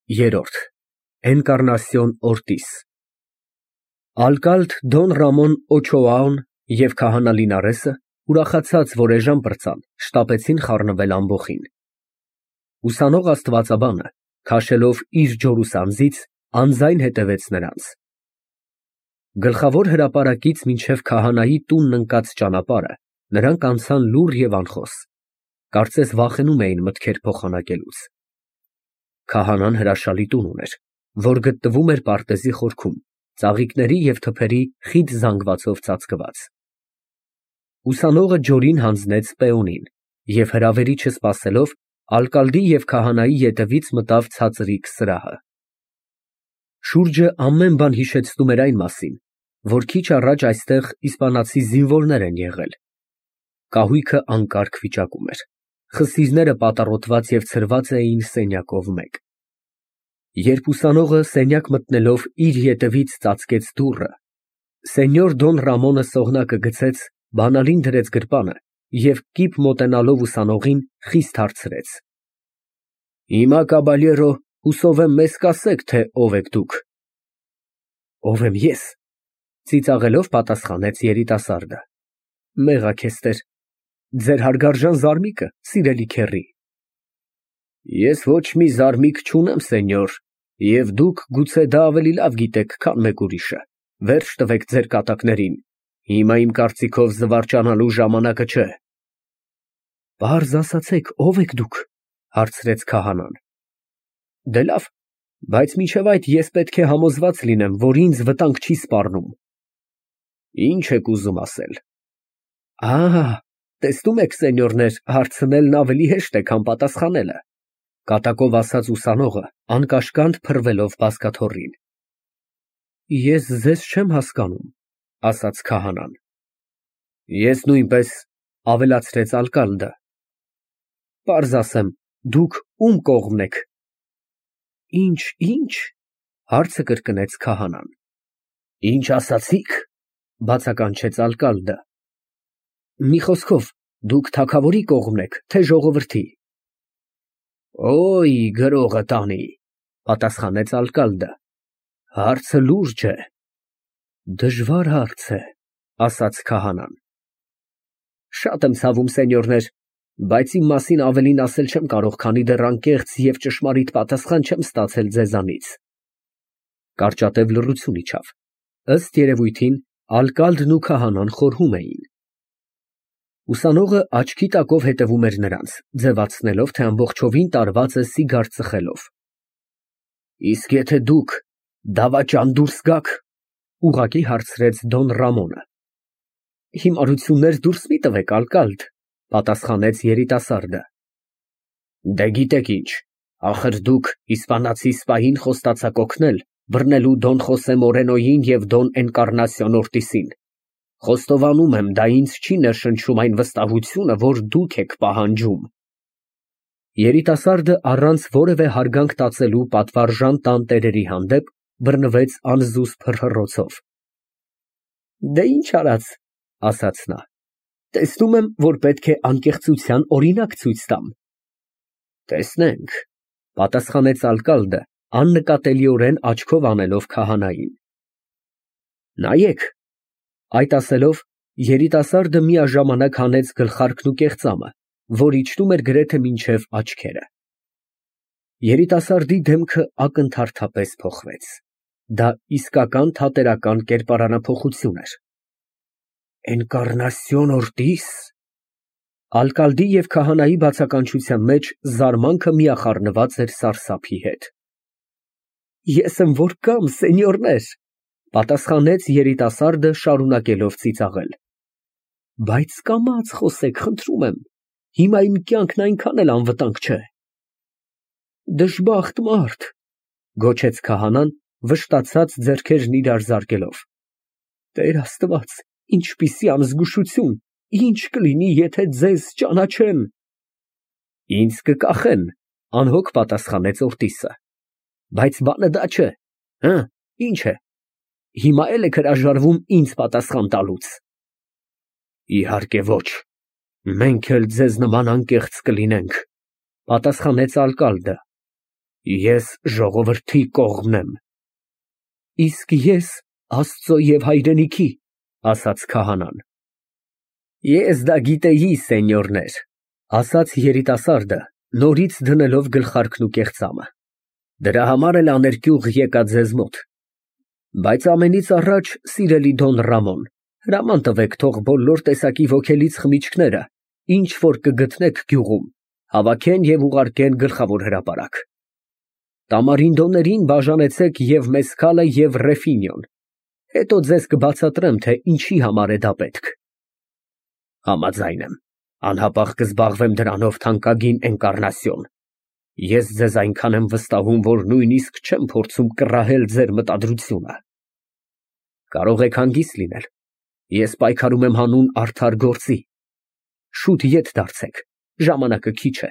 Երրորդ Էնկառնասիոն Օրտիս Ալկալդ Դոն Ռամոն Օչոաուն և քահանա Լինարեսը, ուրախացած, որ էժան պրծան, շտապեցին խառնվել ամբոխին։ Ուսանող աստվածաբանը, քաշելով իր ջորուսանձից, անձայն հետևեց նրանց։ Գլխավոր հրապարակից մինչև քահանայի տունն ընկած ճանապարհը նրանք անցան լուռ և անխոս, կարծես վախենում էին մտքեր փոխանակելուց։ Քահանան հրաշալի տուն ուներ, որ գտնվում էր պարտեզի խորքում, ծաղիկների և թփերի խիտ զանգվածով ծածկված։ Ուսանողը ջորին հանձնեց պեոնին և հրավերի չսպասելով, ալկալդի և քահանայի ետևից մտավ ցածրիկ սրահը։ Շուրջը ամեն բան հիշեցնում էր այն մասին, որ քիչ առաջ այստեղ իսպանացի զինվորներ են եղել։ Կահույքը անկարգ վիճակում էր, խսիրները պատառոտված և ցրված էին սենյակով մեկ։ Երբ ուսանողը սենյակ մտնելով իր ետևից ծածկեց դուռը, սենյոր Դոն Ռամոնը սողնակը գցեց, բանալին դրեց գրպանը և կիպ մոտենալով ուսանողին, խիստ հարցրեց. Հիմա, կաբալյերո, հուսով եմ, մեզ կասեք, թե ով եք դուք։ Ով եմ ես, ծիծաղելով պատասխանեց երիտասարդը։ Մեղա քեզ Տեր, ձեր հարգարժան զարմիկը, սիրելի քեռի։ Ես ոչ մի զարմիկ չունեմ, սենյոր, և դուք գուցե դա ավելի լավ գիտեք, քան մեկ ուրիշը, վերջ տվեք ձեր կատակներին, հիմա իմ կարծիքով զվարճանալու ժամանակը չէ։ Պարզ ասացեք, ով եք դուք, հարցրեց քահանան։ Դե լավ, բայց մինչև այդ ես պետք է համոզված լինեմ, որ ինձ վտանգ չի սպառնում։ Ինչ եք ուզում ասել։ Տեսնում եք, սենյորներ, հարցնելն ավելի հեշտ է, քան պատասխանելը, կատակով ասաց ուսանողը, անկաշկանդ փռվելով բազկաթոռին։ Ես ձեզ չեմ հասկանում, ասաց քահանան։ Ես նույնպես, ավելացրեց ալկալդը։ Պարզ ասեմ, դուք ում կողմն եք։ Ինչ, հարցը կրկնեց քահանան։ Ինչ ասացիք, բացականչեց ալկալդը։ Մի խոսքով, դուք թագավորի կողմն եք, թե ժողովրդի։ Օй, գրողը տանի, պատասխանեց ալկալդը։ Հարցը լուրջ է։ Դժվար հարց է, ասաց քահանան։ Շատ եմ ցավում, սենյորներ, բայց իմ մասին ավելին ասել չեմ կարող, քանի դեռ անկեղծ և ճշմարիտ պատասխան չեմ ստացել ձեզանից։ Կարճատև լռություն իջավ։ Ըստ երևույթին, ալկալդն ու քահանան խորհում էին։ Ուսանողը աչքի տակով հետևում էր նրանց, ձևացնելով, թե ամբողջովին տարված է սիգար ծխելով։ Իսկ եթե դուք դավաճան դուրս գաք, ուղղակի հարցրեց Դոն Ռամոնը։ Հիմարություններ դուրս մի տվեք, ալկալդ, պատասխանեց երիտասարդը։ Դե գիտեք ինչ, ախր դուք իսպանացի սպային խոստացաք օգնել, բռնելու Դոն Խոսե Մորենոյին և Դոն Էնկառնասիոն Օրտիսին։ Խոստովանում եմ, դա ինձ չի ներշնչում այն վստահությունը, որ դուք եք պահանջում։ Երիտասարդը առանց որևէ հարգանք տածելու պատվարժան տանտերերի հանդեպ բռնվեց անզուսպ հռհռոցով։ Դե ինչ արած, ասաց նա, տեսնում եմ, որ պետք է անկեղծության օրինակ ցույց տամ։ Տեսնենք, պատասխանեց ալկալդը, աննկատելիորեն աչքով անելով քահանային։ Նայեք։ Այդ ասելով, երիտասարդը միաժամանակ հանեց գլխարկն ու կեղծամը, որ իջնում էր գրեթե մինչև աչքերը։ Երիտասարդի դեմքը ակնթարթապես փոխվեց։ Դա իսկական թատերական կերպարանափոխություն էր։ Էնկառնասիոն Օրտիս։ Ալկալդի և քահանայի բացականչության մեջ զարմանքը միախառնված էր սարսափի հետ։ Ես եմ որ կամ, սենյորներ, պատասխանեց երիտասարդը, շարունակելով ծիծաղել։ Բայց կամաց խոսեք, խնդրում եմ, հիմա իմ կյանքն այնքան էլ անվտանգ չէ։ Դժբախտ մարդ, գոչեց քահանան, վշտացած ձեռքերն իրար զարկելով։ Տեր Աստված, ինչպիսի անզգուշություն, ինչ կլինի, եթե ձեզ ճանաչեն։ Ինձ կկախեն, անհոգ պատասխանեց Օրտիսը։ Բայց բանը դա չէ։ Ինչ է։ Հիմա էլ եք հրաժարվում ինձ պատասխան տալուց։ Իհարկե ոչ, մենք էլ ձեզ նման անկեղծ կլինենք, պատասխանեց ալկալդը։ Ես ժողովրդի կողմն եմ։ Իսկ ես Աստծո և հայրենիքի, ասաց քահանան։ Ես դա գիտեի, սենյորներ, ասաց երիտասարդը, նորից դնելով գլխարկն ու կեղծամը։ Դրա համար էլ աներկյուղ եկա ձեզ մոտ։ Բայց ամենից առաջ, սիրելի Դոն Ռամոն, հրաման տվեք, թող բոլոր տեսակի ոգելից խմիչքները, ինչ որ կգտնեք գյուղում, հավաքեն և ուղարկեն գլխավոր հրապարակ։ Տամարինդոներին բաժանեցեք և մեսքալը և ռեֆինյոն, հետո ձեզ կբացատրեմ, թե ինչի համար է դա պետք։ Համաձայն եմ, անհապաղ կզբաղվեմ դրանով, թանկագին Էնկառնասիոն։ Ես ձեզ այնքան եմ վստահում, որ նույնիսկ չեմ փորձում կռահել ձեր մտադրությունը։ Կարող եք հանգիստ լինել, ես պայքարում եմ հանուն արդար գործի։ Շուտ ետ դարձեք, ժամանակը քիչ է,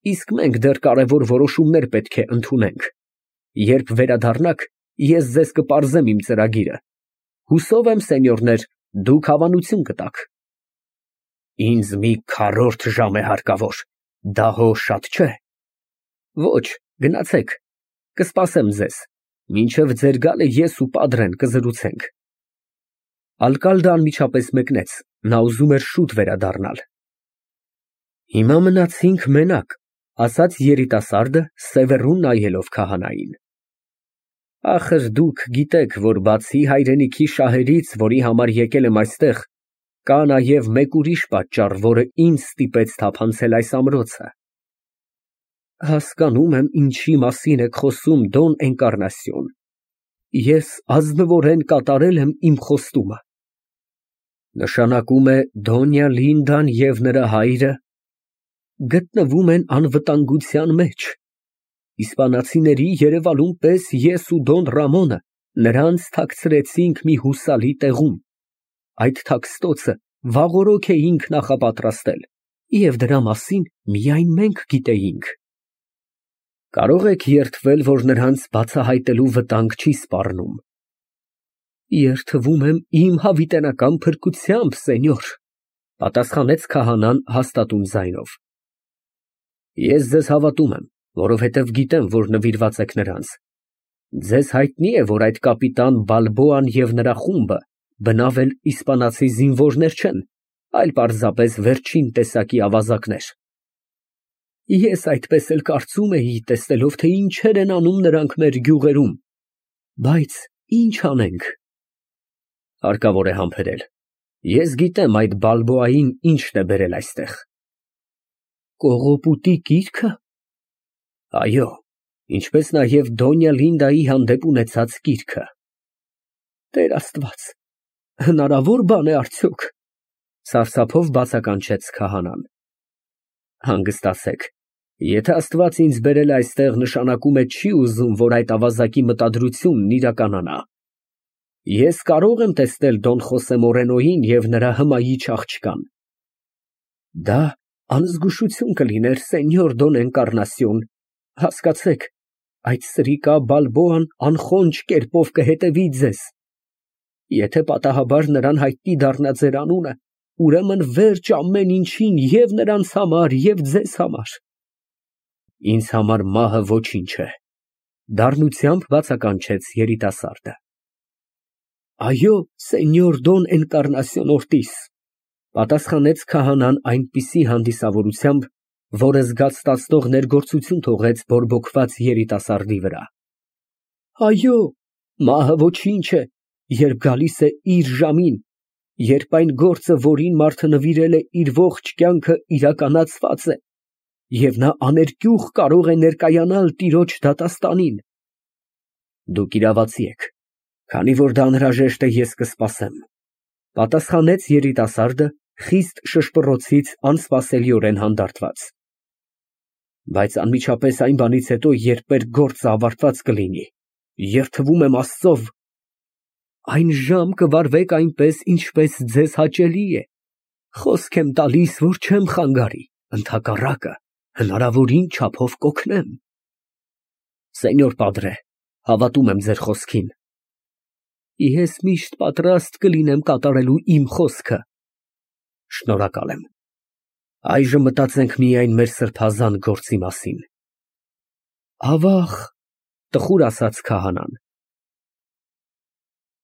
իսկ մենք դեռ կարևոր որոշումներ պետք է ընդունենք։ Երբ վերադառնաք, ես ձեզ կպարզեմ իմ ծրագիրը։ Հուսով եմ, սենյորներ, դուք հավանություն կտաք։ Ինձ մի քառորդ ժամ է հարկավոր, դա հո շատ չէ։ Ոչ, գնացեք, կսպասեմ ձեզ, մինչև ձեր գալը ես ու Պադրեն կզրուցենք։ Ալկալդը անմիջապես մեկնեց, նա ուզում էր շուտ վերադառնալ։ Հիմա մնացինք մենակ, ասաց երիտասարդը, սևեռուն նայելով քահանային։ Ախր դուք գիտեք, որ բացի հայրենիքի շահերից, որի համար եկել եմ այստեղ, կա նաև մեկ ուրիշ պատճառ, որը ինձ ստիպեց թափանցել այս ամրոցը։ Հասկանում եմ, ինչի մասին եք խոսում, Դոն Էնկառնասիոն։ Ես ազնվորեն կատարել եմ իմ խոստումը։ Նշանակում է Դոնյա Լինդան և նրա հայրը գտնվում են անվտանգության մեջ։ Իսպանացիների երևալուն պես ես ու Դոն Ռամոնը նրանց թաքցրեցինք մի հուսալի տեղում։ Այդ թաքստոցը վաղօրոք էինք նախապատրաստել, և դրա մասին միայն մենք գիտեինք։ Կարող եք երդվել, որ նրանց բացահայտելու վտանգ չի սպառնում։ Երդվում եմ իմ հավիտենական փրկությամբ, սենյոր, պատասխանեց քահանան հաստատուն ձայնով։ Ես ձեզ հավատում եմ, որովհետև գիտեմ, որ նվիրված եք նրանց։ Ձեզ հայտնի է, որ այդ կապիտան Բալբոան և նրա խումբը բնավ էլ իսպանացի զինվորներ չեն, այլ պարզապես վերջին տեսակի ավազակներ։ Ես այդպես էլ կարծում էի, տեսնելով, թե ինչեր են անում նրանք մեր գյուղերում, բայց ինչ անենք։ Հարկավոր է համբերել։ Ես գիտեմ այդ Բալբոային ինչն է բերել այստեղ։ Կողոպուտի գիրքը։ Այո, ինչպես նաև Դոնյա Լինդայի հանդեպ ունեցած գիրքը։ Տեր Աստված, հնարավոր բան է արդյոք։ Սարսափով բացականչեց քահանան։ Հանգստացեք։ Եթե Աստված ինձ բերել է այստեղ, նշանակում է չի ուզում, որ այդ ավազակի մտադրությունն իրականանա։ Ես կարող եմ տեսնել Դոն Խոսե Մորենոյին և նրա հմայիչ աղջկան։ Դա անզգուշություն կլիներ, սենյոր Դոն Էնկառնասիոն, հասկացեք, այդ սրիկա Բալբոան անխոնջ կերպով կհետևի ձեզ։ Եթե պատահաբար նրան հայտնի դառնա ձեր անունը, ուրեմն վերջ ամեն ինչին և նրանց համար, և ձեզ համար։ Ինձ համար մահը ոչինչ է, դառնությամբ բացականչեց երիտասարդը։ Այո, սենյոր Դոն Էնկառնասիոն Օրտիս, պատասխանեց քահանան այնպիսի հանդիսավորությամբ, որը զգաստացնող ներգործություն թողեց բորբոքված երիտասարդի վրա։ Այո, մահը ոչինչ է, երբ գալիս է իր ժամին, երբ այն գործը, որին մարդը նվիրել է իր ողջ կյանքը, իրականացված է, և նա աներկյուղ կարող է ներկայանալ Տիրոջ դատաստանին։ Դուք իրավացի եք, քանի որ դա անհրաժեշտ է, ես կսպասեմ, պատասխանեց երիտասարդը, խիստ շշպռոցից անսպասելիորեն հանդարտված։ Բայց անմիջապես այն բանից հետո, երբ մեր գործը ավարտված կլինի, երդվում եմ Աստծով, այն ժամ կվարվեք այնպես, ինչպես ձեզ հաճելի է։ Խոսք եմ տալիս, որ չեմ խանգարի, ընդհակառակը, հնարավորին չափով կօգնեմ։ Սենյոր Պադրե, հավատում եմ ձեր խոսքին։ Ես միշտ պատրաստ կլինեմ կատարելու իմ խոսքը։ Շնորհակալ եմ։ Այժմ մտածենք միայն մեր սրբազան գործի մասին։ Ավաղ, տխուր ասաց քահանան։